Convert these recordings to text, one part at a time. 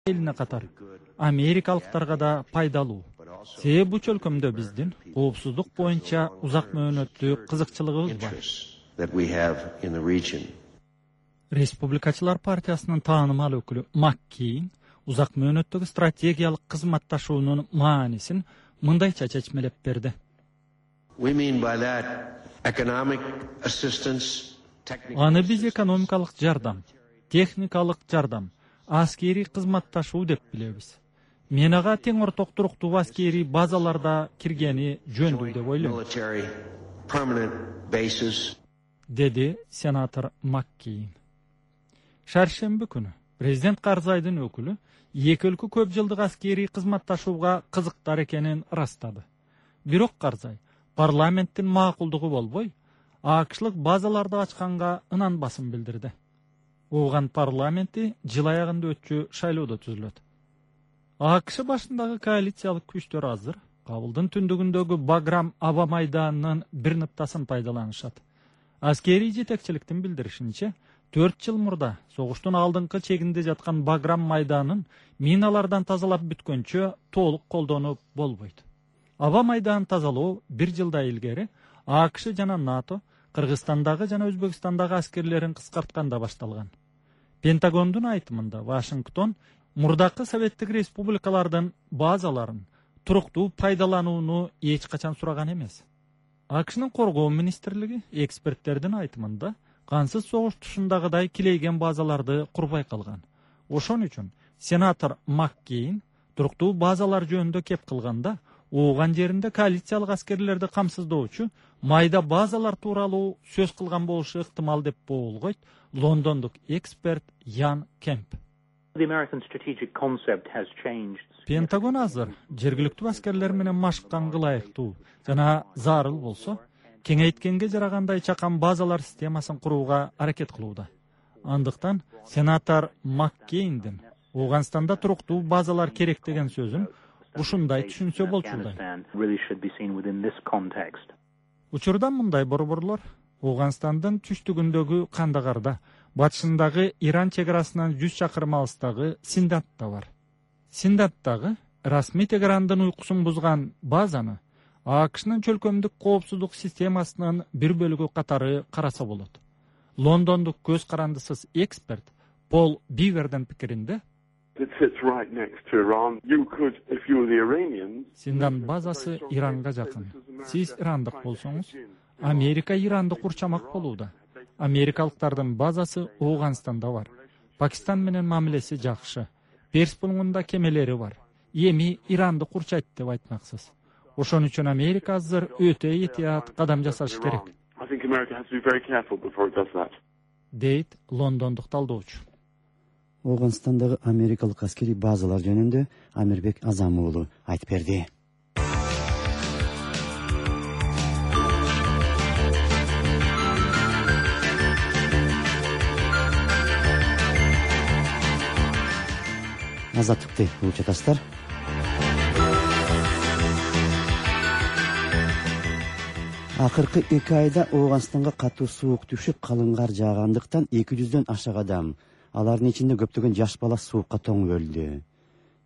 элине катар америкалыктарга да пайдалуу. Себеби бул чөлкөмдө биздин коопсуздук боюнча узак мөөнөттүү кызыкчылыгыбыз бар. Республикачылар партиясынын таанымал өкүлү Маккейн узак мөөнөттөгү стратегиялык кызматташуунун маанисин мындайча чечмелеп берди. Аны биз экономикалык жардам, техникалык жардам, аскери кызматташуу деп билебиз. Мен ага тең орток туруктуу аскери базаларда киргени жөндүү деп ойлойм, деди сенатор Маккейн. Шаршемби күнү президент Карзайдын өкүлү эки өлкө көп жылдык аскери кызматташууга кызыктар экенин ырастады. Бирок Карзай парламенттин макулдугу болбой, АКШлык базаларды ачканга ынанбасын билдирди. Ооган парламенти жыл аягында өтчү шайлоодо түзүлөт. АКШ башындагы коалициялык күчтөр азыр Кабылдын түндүгүндөгү Баграм аба майданынын бир ныктасын пайдаланышат. Аскери жетекчиликтин билдиришинче, 4 жыл мурда согуштун алдыңкы чегинде жаткан Баграм майданын миналардан тазалап бүткөнчө толук колдонуп болбойт. Аба майданын тазалоо 1 жылда илгери АКШ жана НАТО Кыргызстандагы жана Өзбекстандагы аскерлерин кыскартканда башталган. Пентагондун айтымында Вашингтон мурдакы советтик республикалардын базаларын туруктуу пайдаланууну эч качан сураган эмес. АКШнын коргоо министрлиги эксперттердин айтымында кансыз согуш тушундагыдай килейген базаларды курбай калган. Ошон үчүн сенатор Маккейн туруктуу базалар жөнүндө кеп кылганда ооган жеринде коалициялык аскерлерди камсыздоочу майда базалар тууралуу сөз кылган болушу ыктымал деп боолгойт лондондук эксперт Ян Кемп. Пентагон азыр жергиликтүү аскерлер менен машыкканга ылайыктуу жана зарыл болсо, кеңейткенге жарагандай чакан базалар системасын курууга аракет кылууда. Андыктан сенатор Маккейндин Ооганстанда туруктуу базалар керек деген сөзүн ушундай түшүнсө болчудай. Учурда мындай борборлор Ооганстандын түштүгүндөгү Кандагарда, батышындагы Иран чек арасынан 100 чакырым алыстагы Синдатта бар. Синдаттагы расмий Тегерандын уйкусун бузган базаны АКШнын чөлкөмдүк коопсуздук системасынын бир бөлүгү катары караса болот. Лондондук көз карандысыз эксперт Пол Бивердин пикиринде, Синдан базасы Иранга жакын. Сиз ирандык болсоңуз, Америка Иранды курчамак болууда. Америкалыктардын базасы Ооганстанда бар. Пакистан менен мамилеси жакшы. Перс булуңунда кемелери бар. Эми Иранды курчайт деп айтмаксыз. Ошон үчүн Америка азыр өтө этият кадам жасашы керек, дейт лондондук талдоочу. Ооганстандагы америкалык аскери базалар жөнүндө Амирбек Азам уулу айтып берди. Азаттыкты угуп жатасыздар. Акыркы 2 айда Ооганстанга катуу суук түшүп, калың кар жаагандыктан 200дөн ашык адам, алардын ичинде көптөгөн жаш бала суукка тоңуп өлдү.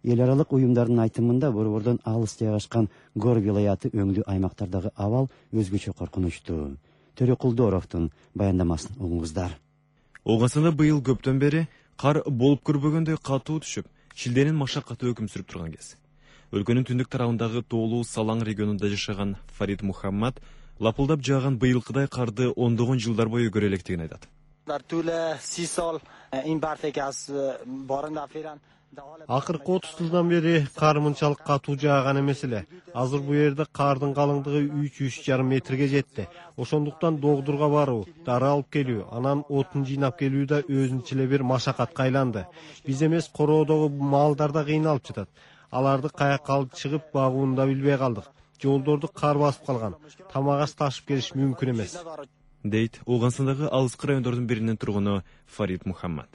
Эл аралык уюмдардын айтымында борбордон алыс жайгашкан Гор вилаяты өңдүү аймактардагы абал өзгөчө коркунучтуу. Төрө Кулдоровдун баяндамасын угуңуздар. Ооганстанда быйыл көптөн бери кар болуп көрбөгөндөй катуу түшүп, шилденин машакаты өкүм сүрүп турган кез. Өлкөнүн түндүк тарабындагы тоолуу Салаң регионунда жашаган Фарид Мухаммад лапылдап жааган быйылкыдай карды ондогон жылдар бою көрө электигин айтат. Акыркы 30 жылдан бери кар мынчалык катуу жааган эмес эле. Азыр бу жерде кардын калыңдыгы 3-3,5 метрге жетти. Ошондуктан догдурга баруу, дары алып келүү, анан отун жыйнап келүү да өзүнчө эле бир машакатка айланды. Биз эмес, короодогу малдар да кыйналып жатат. Аларды каякка алып чыгып багууну да билбей калдык. Жолдорду кар басып калган. Тамак аш ташып келиш мүмкүн эмес, дейт Ооганстандагы алыскы райондордун биринин тургуну Фарид Мухаммад.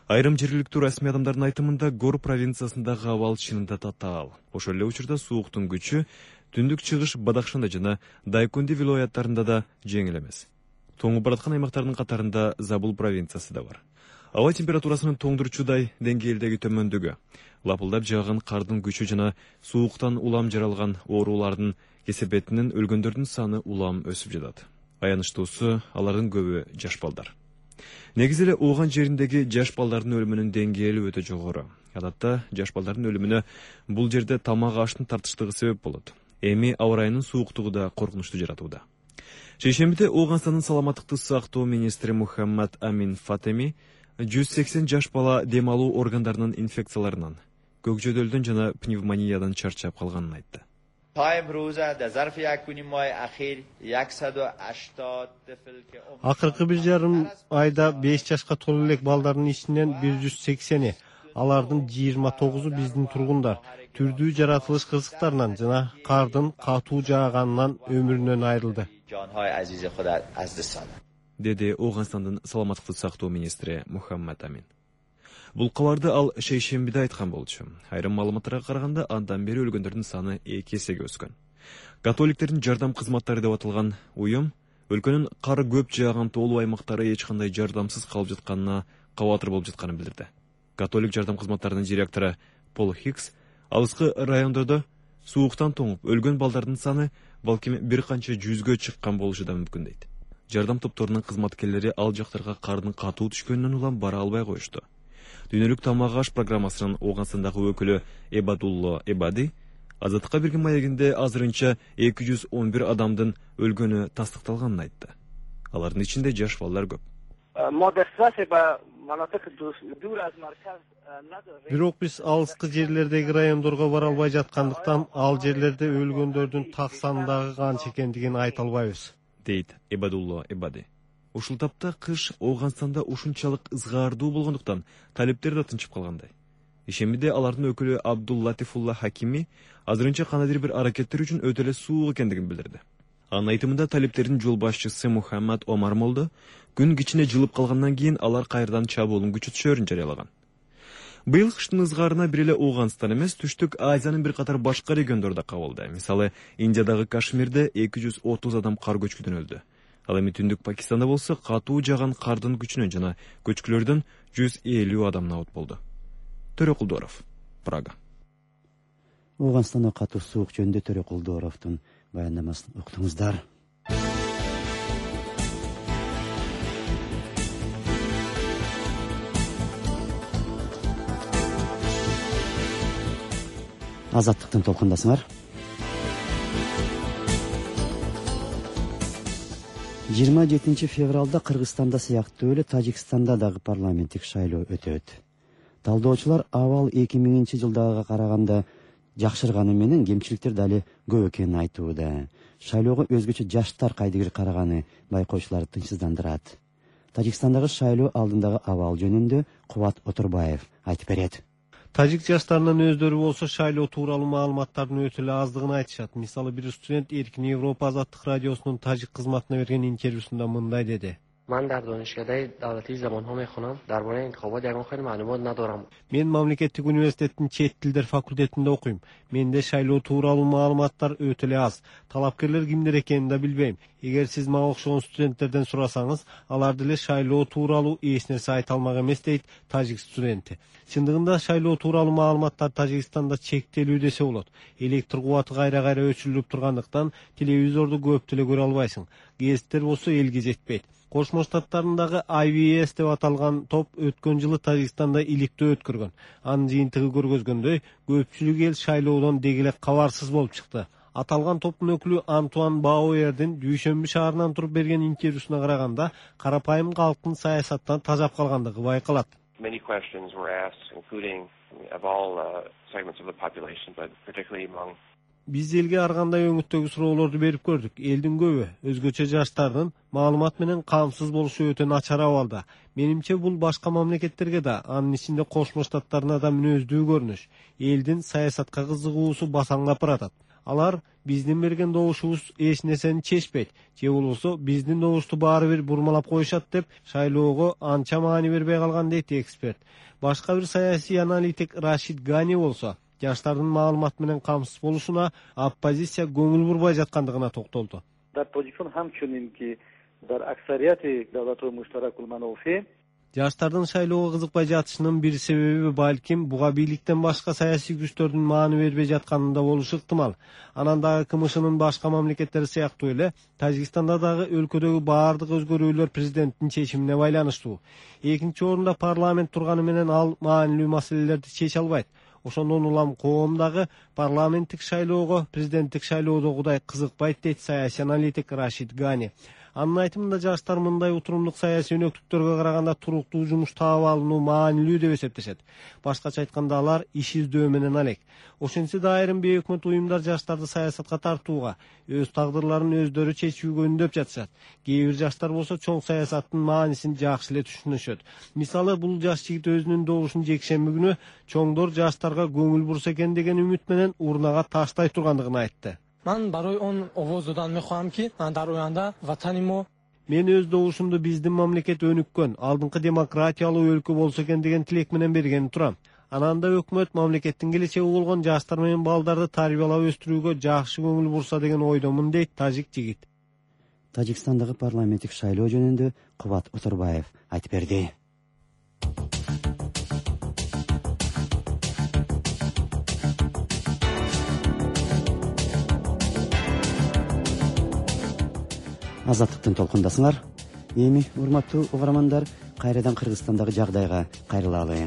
Айрым жергиликтүү расмий адамдардын айтымында Гор провинциясындагы абал чынында татаал. Ошол эле учурда сууктун күчү түндүк чыгыш Бадахшанда жана Дайкунди вилояттарында да жеңил эмес. Тоңуп бараткан аймактардын катарында Забул провинциясы да бар. Аба температурасынын тоңдурчудай деңгээлдеги төмөндүгү, лапылдап жааган кардын күчү жана сууктан улам жаралган оорулардын кесепетинен өлгөндөрдүн саны улам өсүп жатат. Аянычтуусу алардын көбү жаш балдар. Негизи эле ооған жериндеги жаш балдардын өлүмүнүн деңгээли өтө жогору. Адатта жаш балдардын өлүмүнө бул жерде тамак аштын тартыштыгы себеп болот. Эми аба ырайынын сууктугу да коркунучту жаратууда. Шейшембиде Ооганстандын саламаттыкты сактоо министри Мухаммад Амин Фатеми 180 жаш бала дем алуу органдарынын инфекцияларынан, көкжөдөлдөн жана пневмониядан чарчап калганын айтты. Акыркы 1,5 айда 5 жашка толо элек балдардын ичинен 180, алардын 29-у биздин тургундар түрдүү жаратылыш кызыктарынан жана кардын катуу жааганынан өмүрүнөн айрылды, деди Ооганстандын саламаттыкты сактоо министри Мухаммад Амин. Бул кабарды ал шейшембиде айткан болчу. Айрым маалыматтарга караганда, андан бери өлгөндөрдүн саны 2 эсеге өскөн. Католиктердин жардам кызматтары деп аталган уюм өлкөнүн кар көп жааган тоолуу аймактары эч кандай жардамсыз калып жатканына кабатыр болуп жатканын билдирди. Католик жардам кызматтарынын директору Пол Хикс алыскы райондордо сууктан тоңуп өлгөн балдардын саны балким бир канча жүзгө чыккан болушу да мүмкүн дейт. Жардам топторунун кызматкерлери ал жактарга кардын катуу түшкөнүнөн улам бара албай коюшту. Дүйнөлүк тамак аш программасынын Ооганстандагы өкүлү Эбадулло Эбади Азаттыкка берген маегинде азырынча 211 адамдын өлгөнү тастыкталганын айтты. Алардын ичинде жаш балдар көп. Бирок биз алыскы жерлердеги райондорго бара албай жаткандыктан ал жерлерде өлгөндөрдүн так сандагы канча экендигин айта албайбыз, дейт Эбадулло Эбади. Ушул тапта кыш Ооганстанда ушунчалык ызгаардуу болгондуктан талептер да тынчып калгандай. Ишембиде алардын өкүлү Абдуллатифулла Хакими азырынча кандайдыр бир аракеттер үчүн өтө эле суук экендигин билдирди. Анын айтымында талептердин жол башчысы Мухаммад Омар Молдо күн кичине жылып калгандан кийин алар кайрадан чабуулун күчөтүшөрүн жарыялаган. Быйыл кыштын ызгаарына бир эле Ооганстан эмес, Түштүк Азиянын бир катар башка региондору да кабылды. Мисалы, Индиядагы Кашмирде 230 адам кар көчкүдөн өлдү. Ал эми Түндүк Пакистанда болсо катуу жааган кардын күчүнөн жана көчкүлөрдөн 150 адам наут болду. Төрөкулдоров, Прага. Ооганстанда катуу суук жөнүндө Төрөкулдоровдун баяндамасын уктуңуздар. Азаттыктын толкундасыңар. 27 февралда Кыргызстанда сыяктуу эле Тажикстанда дагы парламенттик шайлоо өтөт. Талдоочулар абал 2000 жылдагыга караганда жакшырганы менен кемчиликтер дали көп экенин айтууда. Шайлоого өзгөчө жаштар кайдыгер караганы байкоочуларды тынчсыздандырат. Тажикстандагы шайлоо алдындагы абал жөнүндө Кубат Отурбаев айтып берет. Тажик жаштарынын өздөрү болсо шайлоо тууралуу маалыматтардын өтө эле аздыгын айтышат. Мисалы, бир студент Эркин Европа азаттык радиосунун тажик кызматына берген интервьюсунда мындай деди. من در دانشکده دولتی زبان‌ها می‌خونم. درباره انتخابات یگان خیلی معلومات ندارم. Мен мамлекеттик университеттин чет тилдер факультетинде окуйм. Менде шайлоо тууралуу маалыматтар өтө эле аз. Талапкерлер кимдер экенин да билбейм. Эгер сиз мага окшогон студенттерден сурасаңыз, алар деле шайлоо тууралуу эч нерсе айта алмак эмес, дейт тажик студенти. Чындыгында шайлоо тууралуу маалыматтар Тажикстанда чектелүү десе болот. Электр кубаты кайра-кайра өчүрүлүп тургандыктан телевизорду көп деле көрө албайсың. Гезиттер болсо элге жетпейт. Кошмо Штаттарындагы IVS деп аталган топ өткөн жылы Тажикстанда иликтөө өткөргөн. Анын жыйынтыгы көргөзгөндөй, көпчүлүк эл шайлоодон дегеле кабарсыз болуп чыкты. Аталган топтун өкүлү Антуан Бауэрдин Дүйшөмбү шаарынан туруп берген интервьюсуна караганда, карапайым калктын саясаттан тажап калгандыгы байкалат. Many questions were asked, including of all segments of the population, but particularly among Биз элге ар кандай өңүттөгү суроолорду берип көрдүк. Элдин көбү, өзгөчө жаштардын маалымат менен камсыз болушу өтө начар абалда. Менимче бул башка мамлекеттерге да, анын ичинде Кошмо Штаттарына да мүнөздүү көрүнүш. Элдин саясатка кызыгуусу басаңдап баратат. Алар биздин берген добушубуз эч нерсени чечпейт, же болбосо биздин добушту баары бир бурмалап коюшат деп шайлоого анча маани бербей калган, дейт эксперт. Башка бир саясий аналитик Рашид Гани болсо, жаштардын маалымат менен камсыз болушуна оппозиция көңүл бурбай жаткандыгына токтолду. در پوزیشن همچنین که در اکثریت دولت‌های مشترک المنافع Жаштардын шайлоого кызыкпай жатышынын бир себеби балким буга бийликтен башка саясий күчтөрдүн мааны бербей жатканында болушу ыктымал. Анан дагы КМШнын башка мамлекеттери сыяктуу эле Тажикстанда дагы өлкөдөгү баардык өзгөрүүлөр президенттин чечимине байланыштуу. Экинчи орунда парламент турганы менен ал маанилүү маселелерди чече албайт. Ошондон улам коом дагы парламенттик шайлоого президенттик шайлоодогудай кызыкпайт, дейт саясий аналитик Рашид Гани. Анын айтымында жаштар мындай утурумдук саясий өнөктүктөргө караганда туруктуу жумуш таап алууну маанилүү деп эсептешет. Башкача айтканда алар иш издөө менен алек. Ошентсе да айрым бейөкмөт уюмдар жаштарды саясатка тартууга, өз тагдырларын өздөрү чечүүгө үндөп жатышат. Кээ бир жаштар болсо чоң саясаттын маанисин жакшы эле түшүнүшөт. Мисалы, бул жаш жигит өзүнүн добушун жекшемби күнү чоңдор жаштарга көңүл бурса экен деген үмүт менен урнага таштай тургандыгын айтты. Ман барои он овоз додан мехоҳам ки дар оянда ватанимо Мен өз добушумду биздин мамлекет өнүккөн, алдыңкы демократиялуу өлкө болсо экен деген тилек менен берген турам. Анан да өкмөт мамлекеттин келечеги болгон жаштар менен балдарды тарбиялап өстүрүүгө жакшы көңүл бурса деген ойдомун, дейт тажик жигит. Тажикстандагы парламенттик шайлоо жөнүндө Кубат Отурбаев айтып берди. Азаттыктын толкундасыңар. Эми урматтуу угармандар, кайрадан Кыргызстандагы жагдайга кайрылалы.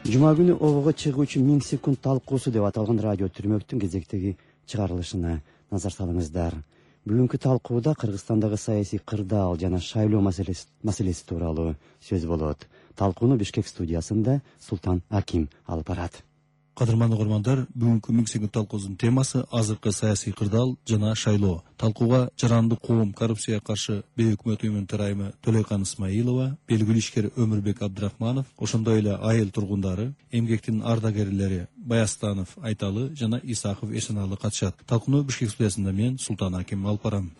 Жума күнү обого чыгуучу 1000 секунд талкуусу деп аталган радио түрмөктүн кезектеги чыгарылышына назар салыңыздар. Бүгүнкү талкууда Кыргызстандагы саясий кырдаал жана шайлоо маселеси тууралуу сөз болот. Талкууну Бишкек студиясында Султан Аким алып барат. Кадырман угармандар, бүгүнкү 1000 секунд талкуусунун темасы азыркы саясий кырдаал жана шайлоо. Талкууга жарандык коом коррупцияга каршы бейөкмөт уюмунун төрайымы Төлөйкан Исмаилова, белгилүү ишкер Өмүрбек Абдрахманов, ошондой эле айыл тургундары, эмгектин ардагерлери Баястанов, Айталы жана Исаков Эсеналы катышат. Талкууну Бишкек студиясында мен Султан Аким алып барам.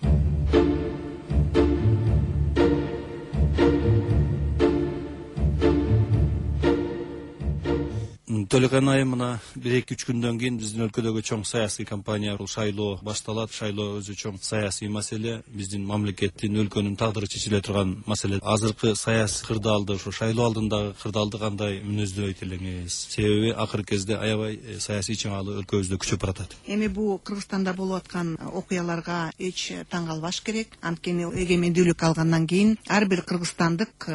Төлөйкан айым мына 1-2-3 күндөн кийин биздин өлкөдөгү чоң саясий кампания шайлоо башталат. Шайлоо өзү чоң саясий маселе, биздин мамлекеттин, өлкөнүн тагдыры чечиле турган маселе. Азыркы саясий кырдаалды, ошо шайлоо алдындагы кырдаалды кандай мүнөздөйт элеңиз? Себеби акыркы кезде аябай саясий чыңалуу өлкөбүздө күчөп баратат. Эми бул Кыргызстанда болуп аткан окуяларга эч таң калбаш керек. Анткени эгемендүүлүк алгандан кийин ар бир кыргызстандык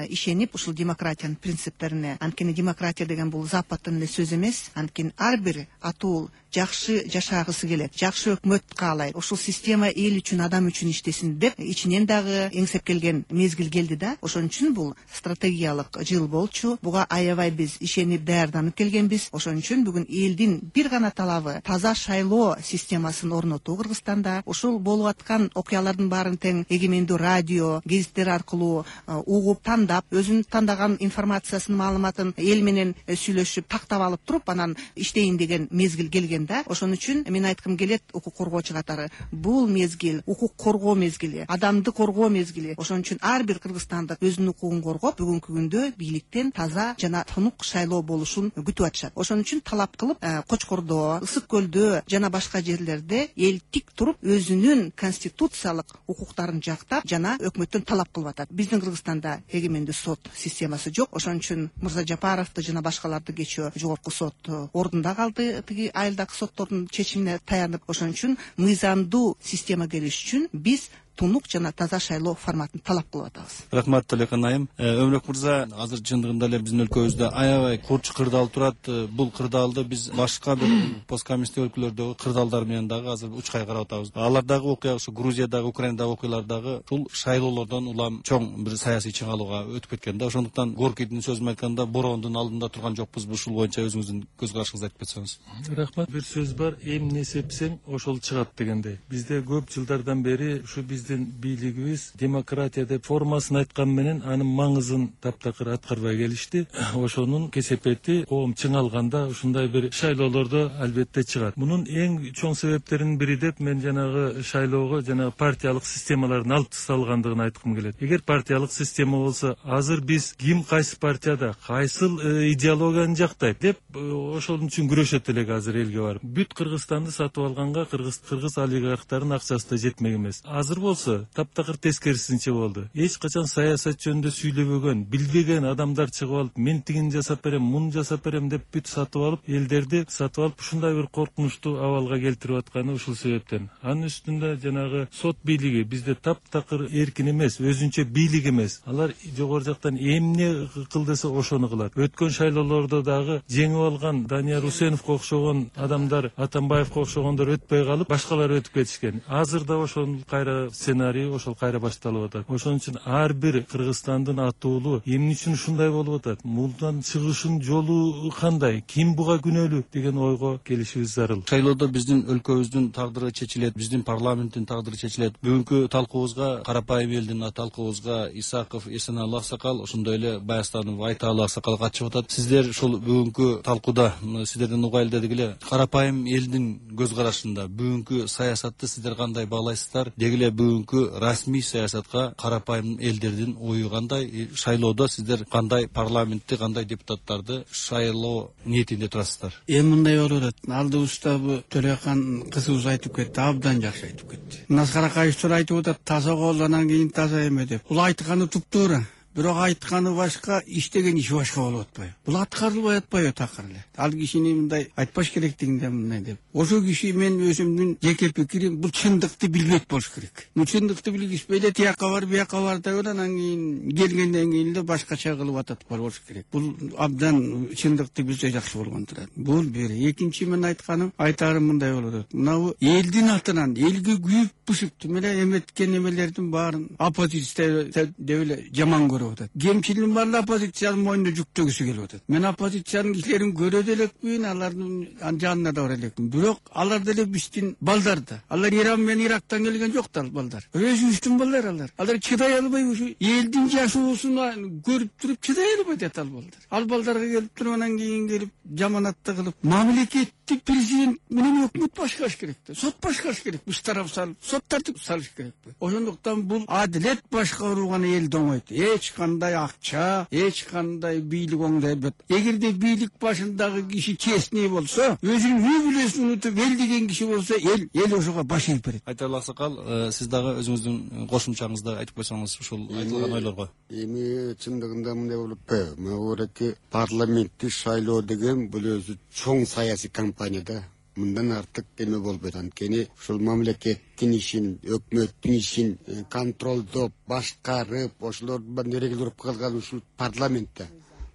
ишенип ушул демократиянын принциптерине, анткени демократия деген бул западтын эле сөз эмес, анткени ар бир атуу жакшы жашагысы келет, жакшы өкмөт каалайт, ушул система эл үчүн, адам үчүн иштесин деп ичинен дагы эңсеп келген мезгил келди да. Ошон үчүн бул стратегиялык жыл болчу. Буга аябай биз ишенип даярданып келгенбиз. Ошон үчүн бүгүн элдин бир гана талабы таза шайлоо системасын орнотуу Кыргызстанда. Ушул болуп аткан окуялардын баарын тең эгемендүү радио, гезиттер аркылуу угуп, тандап, өзүнүн тандаган информациясын, маалыматын эл менен сүйлөшүп, тактап алып туруп, анан иштейин деген мезгил келген да. Ошон үчүн мен айткым келет укук коргоочу катары, бул мезгил укук коргоо мезгили, адамды коргоо мезгили. Ошон үчүн ар бир кыргызстандык өзүнүн укугун коргоп, бүгүнкү күндө бийликтен таза жана тунук шайлоо болушун күтүп атышат. Ошон үчүн талап кылып, Кочкордо, Ысык көлдө жана башка жерлерде эл тик туруп, өзүнүн конституциялык укуктарын жактап жана өкмөттөн талап кылып атат. Биздин Кыргызстанда эгемендүү сот системасы жок. Ошон үчүн Мырза Жапаровду жана башкаларды кечөө жогорку сот ордунда калды, тиги айылдагы соттордун чечимине таянып. Ошон үчүн мыйзамдуу система келиш үчүн биз тунук жана таза шайлоо форматын талап кылып атабыз. Рахмат Төлөйкан айым. Өмүрбек мырза, азыр чындыгында эле биздин өлкөбүздө аябай курч кырдаал турат. Бул кырдаалды биз башка бир посткоммунисттик өлкөлөрдөгү кырдаалдар менен дагы азыр учкай карап атабыз. Алардагы окуя, ушу Грузиядагы, Украинадагы окуялардагы ушул шайлоолордон улам чоң бир саясий чыңалууга өтүп кеткен да. Ошондуктан Горкийдин сөзүн айтканда, бороондун алдында турган жокпузбу? Ушул боюнча өзүңүздүн көз карашыңызды айтып кетсеңиз. Рахмат. Бир сөз бар, эмне сепсең ошол чыгат дегендей. Бизде көп жылдардан бери ушу биздин бийлигибиз демократия деп формасын айткан менен анын маңызын таптакыр аткарбай келишти. Ошонун кесепети коом чыңалганда ушундай бир шайлоолордо албетте чыгат. Мунун эң чоң себептеринин бири деп мен жанагы шайлоого жанагы партиялык системалардын алып тасталгандыгын айткым келет. Эгер партиялык система болсо, азыр биз ким кайсы партияда, кайсыл идеологияны жактайт деп ошол үчүн күрөшөт элек азыр элге барып. Бүт Кыргызстанды сатып алганга кыргыз олигархтардын акчасы да жетмек эмес. Азыр болсо болсо таптакыр тескерисинче болду. Эч качан саясат жөнүндө сүйлөбөгөн, билбеген адамдар чыгып алып, мен тигини жасап берем, муну жасап берем деп бүт сатып алып, элдерди сатып алып, ушундай бир коркунучтуу абалга келтирип атканы ушул себептен. Анын үстүндө жанагы сот бийлиги бизде таптакыр эркин эмес, өзүнчө бийлик эмес. Алар жогору жактан эмне кыл десе ошону кылат. Өткөн шайлоолордо дагы жеңип алган Данияр Усеновго окшогон адамдар, Атамбаевго окшогондор өтпөй калып, башкалар өтүп кетишкен. Азыр да ошол кайра сценарий ошол кайра башталып атат. Ошон үчүн ар бир Кыргызстандын атуулу эмне үчүн ушундай болуп атат, мындан чыгышын жолу кандай, ким буга күнөөлүү деген ойго келишибиз зарыл. Шайлоодо биздин өлкөбүздүн тагдыры чечилет, биздин парламенттин тагдыры чечилет. Бүгүнкү талкуубузга, карапайым элдин талкуубузга Исаков, Эсеналы аксакал, ошондой эле Баястанов, Айталы аксакал катышып атат. Сиздер ушул бүгүнкү талкууда сиздерден угайлы дедик эле, карапайым элдин көз карашында бүгүнкү саясатты сиздер кандай баалайсыздар? Деги эле бүгүнкү расмий саясатка карапайым элдердин ою кандай? Шайлоодо сиздер кандай парламентти, кандай депутаттарды шайлоо ниетинде турасыздар? Эми мындай болуп атат. Алдыбызда бу Төлөкан кызыбыз айтып кетти, абдан жакшы айтып кетти. Мына Каракаевчилер айтып атат, таза кол анан кийин таза эме деп. Бул айтканы туптуура. Бирок айтканы башка, иштеген иши башка болуп атпайбы? Бул аткарылбай атпайбы такыр эле? Ал кишини мындай айтпаш керектигинде мындай деп. Ошол киши мен өзүмдүн жеке пикирим, бул чындыкты билбейт болуш керек. Бул чындыкты билгиспей эле тияка бар, бияка бар деп анан кийин келгенден кийин эле башкача кылып атат болуш керек. Бул абдан чындыкты билсе жакшы болгон турат. Бул бир. Экинчи мен айтарым мындай болуп атат. Мына элдин атынан элге күйүп бышып менен эметкен эмелердин баарын оппозиция деп эле жаман көрүп атат. Кемчилигин баарын оппозициянын мойнуна жүктөгүсү келип атат. Мен оппозициянын кишилерин көрө элекмин, алардын жанына да бара элекмин. Бирок алар деле биздин балдар да. Алар Иран менен Ирактан келген жок да балдар. Өзүбүздүн балдар алар. Алар чыдай албай ушу элдин жашоосун көрүп туруп чыдай албайт ал балдар. Ал балдарга келип туруп анан кийин келип жаманатты кылып, мамлекетти президент менен өкмөт башкарыш керек да. Сот башкарыш керек. Үч тарап салып, сот тартип салыш керек. Ошондуктан бул адилет башкаруугана эл доңойт. Эч кандай акча, эч кандай бийлик оңдой албайт. Эгерде бийлик башындагы киши честный болсо, өзүнүн үй бүлөсүн унутуп эл деген киши болсо, эл ошого баш ийип берет. Айталы аксакал, сиз дагы өзүңүздүн кошумчаңызды айтып койсоңуз ушул айтылган ойлорго. Эми чындыгында мындай болуп атпайбы? Мына парламенттик шайлоо деген бул өзү чоң саясий кампания да. Мындан артык эме болбойт. Анткени ушул мамлекеттин ишин, өкмөттүн ишин контролдоп, башкарып, ошолор эрегилип калган ушул парламентте.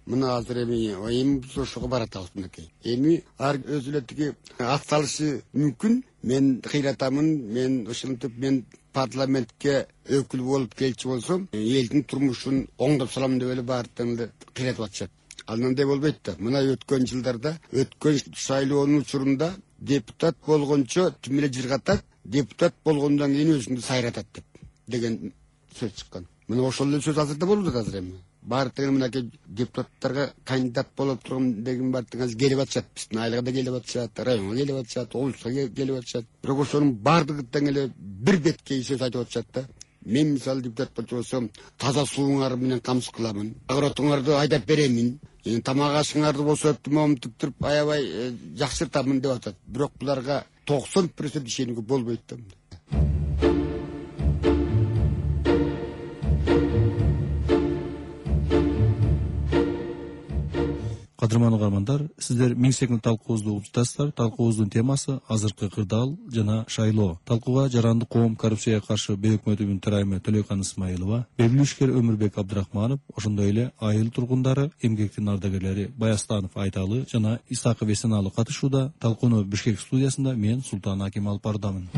Мына азыр эми биз ошого баратабыз мынакей. Эми ар өзү эле тиги ат салышы мүмкүн. Мен кыйратамын, мен ошентип мен парламентке өкүл болуп келчү болсом, элдин турмушун оңдоп салам деп эле баардыгын эле кыйратып атышат. Анандай болбойт да. Мына өткөн жылдарда, өткөн шайлоонун учурунда депутат болгончо тим эле жыргатат, депутат болгондон кийин өзүндү сайратат деген сөз чыккан. Мына ошол эле сөз азыр да болуп атат азыр эми. Баардыгы мынакей депутаттарга кандидат болуп турган деген баардыгы келип атышат. Биздин айлыга да келип атышат, районго келип атышат, облуска келип атышат. Бирок ошонун баардыгы тең эле бир беткей сөз айтып атышат да. Мен мисалы депутат болчу болсом, таза сууңар менен камсыз кыламын. Агротуңарды айдап беремин. Тамак ашыңарды болсо моментип туруп аябай жакшыртамын деп атат. Бирок буларга 90% ишенүүгө болбойт да. Кадырман угармандар, сиздер 1000 секунд талкуубузду угуп жатасыздар. Талкуубуздун темасы азыркы кырдаал жана шайлоо. Талкууга жарандык коом коррупцияга каршы бейөкмөтүнүн төрайымы Төлөкан Исмаилова, белгилүү ишкер Өмүрбек Абдрахманов, ошондой эле айыл тургундары, эмгектин ардагерлери Баястанов, Айталы жана Исаков Эсеналы катышууда. Талкууну Бишкек студиясында мен Султан Аким алып бардамын.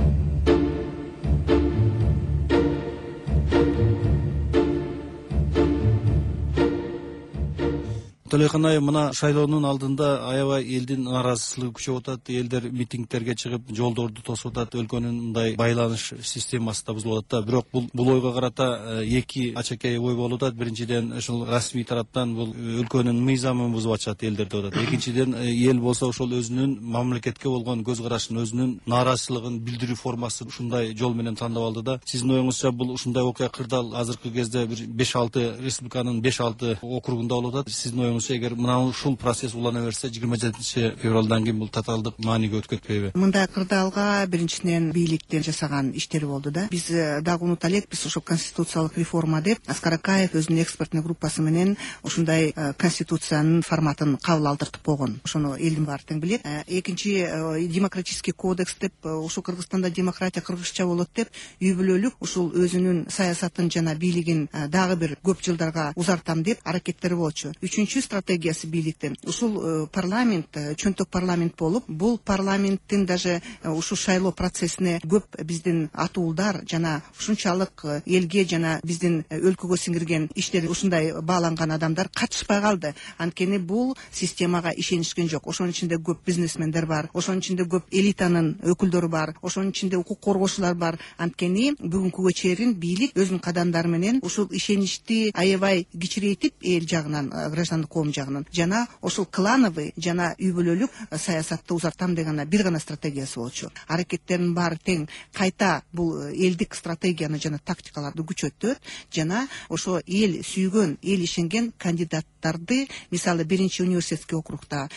Төлөкан айым, мына шайлоонун алдында аябай элдин нааразычылыгы күчөп атат, элдер митингтерге чыгып, жолдорду тосуп атат, өлкөнүн мындай байланыш системасы да бузулуп атат да. Бирок бул ойго карата эки ачакей ой болуп атат. Биринчиден, ушул расмий тараптан бул өлкөнүн мыйзамын бузуп атышат элдер деп атат. Экинчиден, эл болсо ошол өзүнүн мамлекетке болгон көз карашын, өзүнүн нааразычылыгын билдирүү формасын ушундай жол менен тандап алды да. Сиздин оюңузча бул ушундай окуя кырдаал азыркы кезде бир 5-6 республиканын 5-6 округунда болуп атат. Сиздин оюңузча эгер мына ушул процесс улана берсе 27-февралдан кийин бул татаалдык мааниге өтүп кетпейби? Мындай кырдаалга биринчиден бийликтин жасаган иштери болду да. Биз дагы унута элекпиз, ошо конституциялык реформа деп Аскар Акаев өзүнүн экспертный группасы менен ушундай конституциянын форматын кабыл алдыртып койгон. Ошону элдин баары тең билет. Экинчи демократический кодекс деп, ушул Кыргызстанда демократия кыргызча болот деп, үй бүлөлүк ушул өзүнүн саясатын жана бийлигин дагы бир көп жылдарга узартам деп аракеттери болчу. Үчүнчү стратегиясы бийликтин ушул парламент, чөнтөк парламент болуп, бул парламенттин даже ушул шайлоо процессине көп биздин атуулдар жана ушунчалык элге жана биздин өлкөгө сиңирген иштери ушундай бааланган адамдар катышпай калды. Анткени бул системага ишенишкен жок. Ошонун ичинде көп бизнесмендер бар, ошонун ичинде көп элитанын өкүлдөрү бар, ошонун ичинде укук коргоочулар бар. Анткени бүгүнкүгө чейин бийлик өзүнүн кадамдары менен ушул ишеничти аябай кичирейтип эл жагынан, граждандык коом жагынан жана ошол клановый жана үй бүлөлүк саясатты узартам деген бир гана стратегиясы болчу. Аракеттердин баары тең кайта бул элдик стратегияны жана тактикаларды күчөтөт жана ошо эл сүйгөн, эл ишенген кандидаттарды, мисалы биринчи университетский округда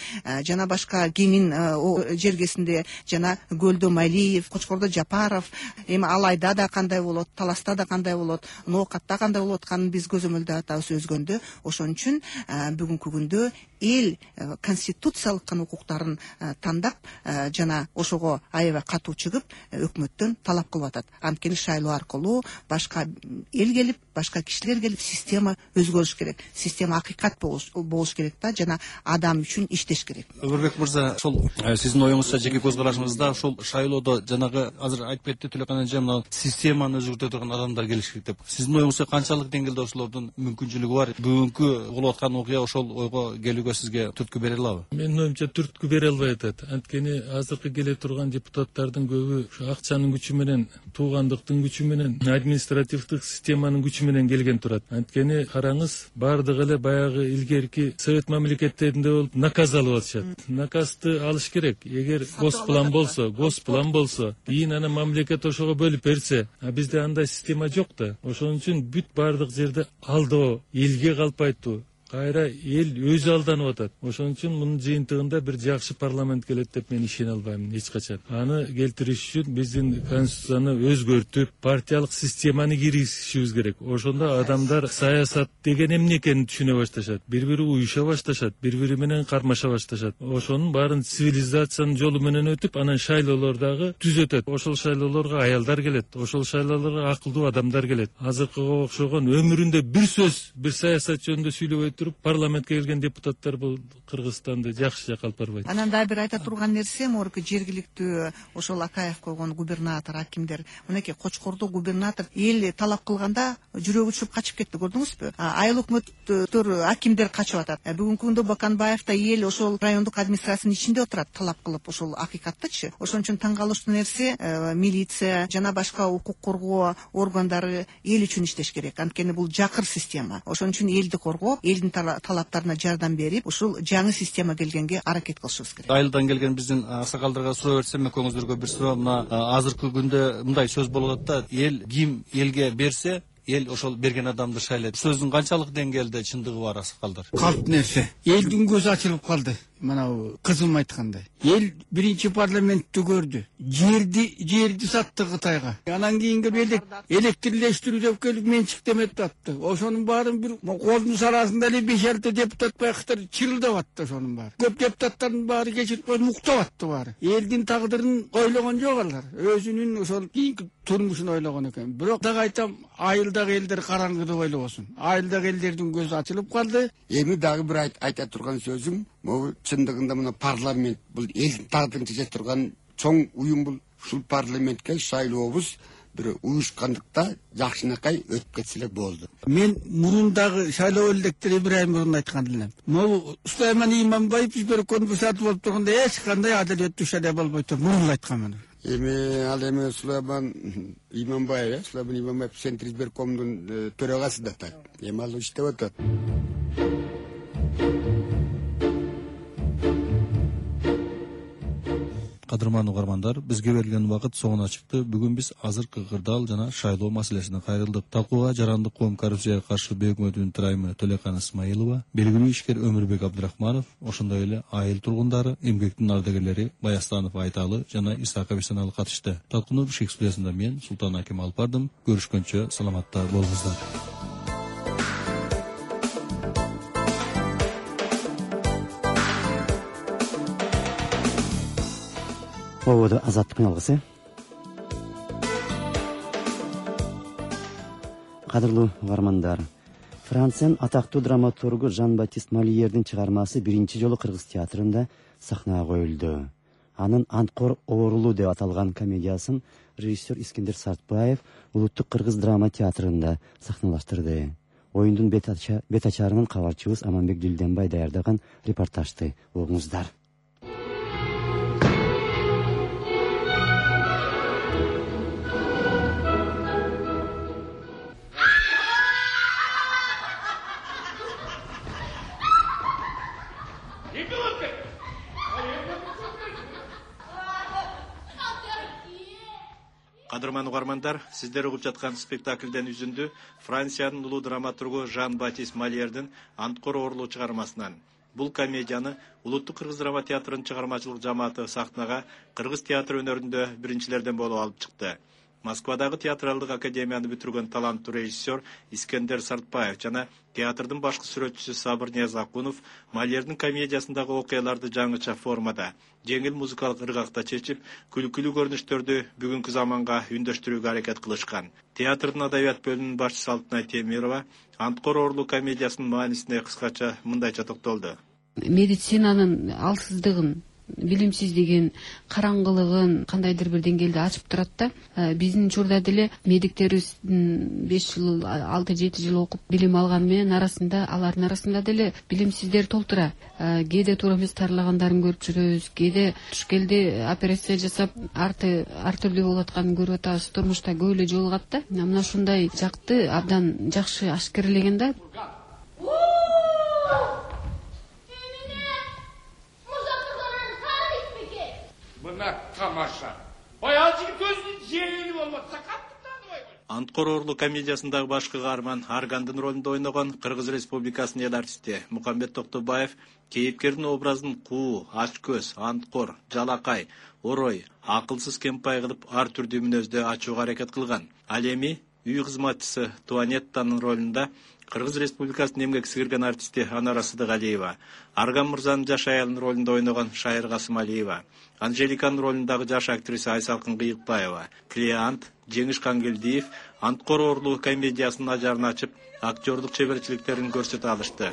жана башка Кемин жергесинде жана Көлдө Малиев, Кочкордо Жапаров, эми Алайда да кандай болот, Таласта да кандай болот, Ноокатта кандай болот атканын биз көзөмөлдөп атабыз өзгөндө. Ошон үчүн бүгүнкү күндө эл конституциялык укуктарын тандап жана ошого аябай катуу чыгып өкмөттөн талап кылып атат. Анткени шайлоо аркылуу башка эл келип, башка кишилер келип, система өзгөрүш керек. Система акыйкат болуш керек да, жана адам үчүн иштеш керек. Өмүрбек мырза, ошол сиздин оюңузча, жеке көз карашыңызда ошол шайлоодо жанагы азыр айтып кетти Төлөкөн эже, мына системаны өзгөртө турган адамдар келиш керек деп. Сиздин оюңузча канчалык деңгээлде ошолордун мүмкүнчүлүгү бар? Бүгүнкү болуп аткан окуя ошол ойго келүүгө сизге түрткү бере алабы? Менин оюмча түрткү бере албай атат. Анткени азыркы келе турган депутаттардын көбү ушу акчанын күчү менен, туугандыктын күчү менен, административдик системанын күчү менен келген турат. Анткени караңыз, баардыгы эле баягы илгерки совет мамлекеттеринде болуп наказ алып атышат. Наказды алыш керек. Эгер госплан болсо, кийин ана мамлекет ошого бөлүп берсе, бизде андай система жок да. Ошон үчүн бүт баардык жерде алдоо, элге калпайтуу, кайра эл өзү алданып атат. Ошон үчүн мунун жыйынтыгында бир жакшы парламент келет деп мен ишене албайм эч качан. Аны келтириш үчүн биздин конституцияны өзгөртүп, партиялык системаны киргизишибиз керек. Ошондо адамдар саясат деген эмне экенин түшүнө башташат, бири-бири уюша башташат, бири-бири менен кармаша башташат. Ошонун баарын цивилизациянын жолу менен өтүп, анан шайлоолор дагы түз өтөт. Ошол шайлоолорго аялдар келет, ошол шайлоолорго акылдуу адамдар келет. Азыркыга окшогон өмүрүндө бир сөз, бир саясат жөнүндө сүйлөбөй туруп парламентке келген депутаттар бул Кыргызстанды жакшы жакка алып барбайт. Анан дагы бир айта турган нерсе, морки жергиликтүү ошол Акаев койгон губернатор, акимдер, мынакей Кочкордо губернатор эл талап кылганда жүрөгү түшүп качып кетти, көрдүңүзбү? Айыл өкмөттөр, акимдер качып атат. Бүгүнкү күндө Баканбаев да эл ошол райондук администрациянын ичинде отурат, талап кылып ошол акыйкаттычы. Ошон үчүн таң калыштуу нерсе, милиция жана башка укук коргоо органдары эл үчүн иштеш керек. Анткени бул жакыр система. Ошон үчүн элди коргоп, элдин талаптарына жардам берип, ушул жаңы система келгенге аракет кылышыбыз керек. Айылдан келген биздин аксакалдарга суроо берсем, экөөңүздөргө бир суроо. Мына азыркы күндө мындай сөз болуп атат да, эл ким элге берсе, эл ошол берген адамды шайлайт. Сөздүн канчалык деңгээлде чындыгы бар, аксакалдар? Калп нерсе. Элдин көзү ачылып калды. Мына кызым айткандай. Эл биринчи парламентти көрдү. Жерди сатты Кытайга. Анан кийинки электрлештирүү деп келип менчиктемет атты. Ошонун баарын бир колдун сарасында эле 5-6 депутат байкыктар чырылдап атты ошонун баары. Көп депутаттардын баары кечирип коюп уктап атты баары. Элдин тагдырын ойлогон жок алар. Өзүнүн ошол кийинки турмушун ойлогон экен. Бирок дагы айтам, айылдагы элдер караңгыды ойлобосун. Айылдагы элдердин көзү ачылып калды. Эми дагы бир айта турган сөзүм, могу чындыгында мына парламент бул элдин тагдырын чече турган чоң уюм. Бул ушул парламентке шайлообуз бир уюшкандыкта жакшынакай өтүп кетсе эле болду. Мен мурундагы шайлоо электери бир ай мурун айткан элем. Могу Сулайман Иманбаев жиберген бусат болуп турганда эч кандай адалеттүү шайлоо болбойт деп мурун айтканмын. Эми ал эми Сулайман Иманбаев, Центр избиркомдун төрагасы да так. Эми ал иштеп атат. Кадырман угармандар, бизге берилген убакыт соңуна чыкты. Бүгүн биз азыркы кырдаал жана шайлоо маселесине кайрылдык. Талкууга жарандык коом коррупцияга каршы өкмөтүнүн тырайымы Төлекан Исмаилова, белгилүү ишкер Өмүрбек Абдрахманов, ошондой эле айыл тургундары, эмгектин ардагерлери Баястанов Айталы жана Исаак Абисаналы катышты. Талкууну Бишкек студиясында мен Султан Аким алып бардым. Көрүшкөнчө саламатта болуңуздар. Ободу азаттыктын алгысы. Кадырлуу угармандар, Франциянын атактуу драматургу Жан-Батист Мольердин чыгармасы биринчи жолу Кыргыз театрында сахнага коюлду. Анын Анткор оорулуу деп аталган комедиясын режиссер Искендер Сартбаев Улуттук Кыргыз драма театрында сахналаштырды. Оюндун бет ачарынан кабарчыбыз Аманбек Дилденбай даярдаган репортажды угуңуздар. Кадырман угармандар, сиздер угуп жаткан спектаклден үзүндү Франциянын улуу драматургу Жан-Батист Мольердин Анткор оорулуу чыгармасынан. Бул комедияны Улуттук Кыргыз драма театрынын чыгармачылык жамааты сахнага Кыргыз театр өнөрүндө биринчилерден болуп алып чыкты. Москвадагы театралдык академияны бүтүргөн таланттуу режиссер Искендер Сартбаев жана театрдын башкы сүрөтчүсү Сабыр Ниязакунов Мольердин комедиясындагы окуяларды жаңыча формада, жеңил музыкалык ыргакта чечип, күлкүлүү көрүнүштөрдү бүгүнкү заманга үндөштүрүүгө аракет кылышкан. Театрдын адабият бөлүмүнүн башчысы Алтынай Темирова Анткор оорулуу комедиясынын маанисине кыскача мындайча токтолду. Медицинанын алсыздыгын, билимсиздигин, караңгылыгын кандайдыр бир деңгээлде ачып турат да. Биздин учурда деле медиктерибиз 5 жыл, 6-7 жыл окуп билим алган менен алардын арасында деле билимсиздер толтура. Кээде туура эмес тарылагандарын көрүп жүрөбүз, кээде туш келди операция жасап ар түрдүү болуп атканын көрүп атабыз. Турмушта көп эле жолугат да. Мына ушундай жакты абдан жакшы ашкерлеген да. Тамаша. Баял жигит өзүнүн жеңили болмаса каттыктан. Анткор оорулуу комедиясындагы башкы каарман Аргандын ролунда ойногон Кыргыз Республикасынын эл артисти Мукамбет Токтобаев кейипкердин образын куу, ачкөз, анткор, жалакай, орой, акылсыз кемпай кылып ар түрдүү мүнөздө ачууга аракет кылган. Ал эми үй кызматчысы Туанеттанын ролунда Кыргыз Республикасынын эмгек сіңирген артисти Анара Сыдыгалиева, Арган мырзанын жаш аялынын ролунда ойногон Шайыр Касымалиева, Анжеликанын ролундагы жаш актриса Айсалкын Кыйыкбаева, Клиант, Жеңиш Кангелдиев Анткор оорулуу комедиясынын ажарын ачып, актерлук чеберчиликтерин көрсөтө алышты.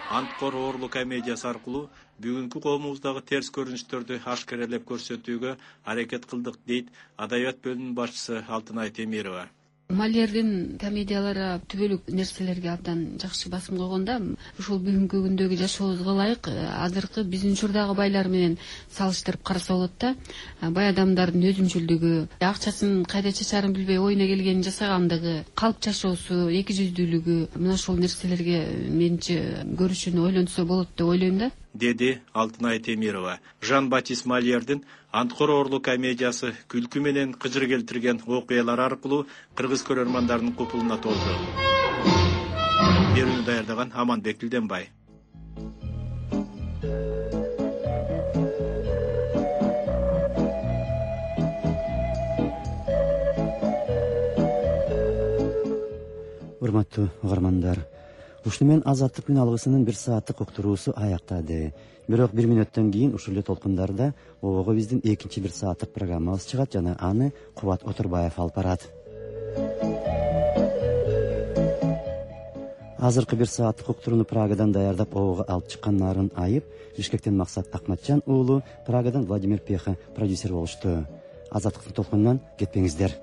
Анткор оорулуу комедиясы аркылуу бүгүнкү коомубуздагы терс көрүнүштөрдү ашкерелеп көрсөтүүгө аракет кылдык, дейт адабият бөлүмүнүн башчысы Алтынай Темирова. Мольердин комедиялары түбөлүк нерселерге абдан жакшы басым койгон да. Ушул бүгүнкү күндөгү жашообузга ылайык азыркы биздин учурдагы байлар менен салыштырып караса болот да. Бай адамдардын өзүмчүлдүгү, акчасын кайда чачарын билбей ойуна келгенин жасагандыгы, калп жашоосу, эки жүздүүлүгү, мына ушул нерселерге менчи көрүшүн ойлонсо болот деп ойлойм да, деди Алтынай Темирова. Жан-Батист Мольердин Анткор оорулуу комедиясы күлкү менен кыжыр келтирген окуялар аркылуу кыргыз көрөрмандардын купулуна толду. Берүүнү даярдаган Аманбек Дилденбай. Урматтуу угармандар, ушуну менен Азаттык күн алгысынын 1 сааттык уктуруусу аяктады. Бирок 1 мүнөттөн кийин ушул эле толкундарда обого биздин экинчи 1 сааттык программабыз чыгат жана аны Кубат Отурбаев алып барат. Азыркы 1 сааттык уктурууну Прагадан даярдап обого алып чыккан Нарын Айып, Бишкектен Максат Акматжан уулу, Прагадан Владимир Пеха продюсер болушту. Азаттыктын толкунунан кетпеңиздер.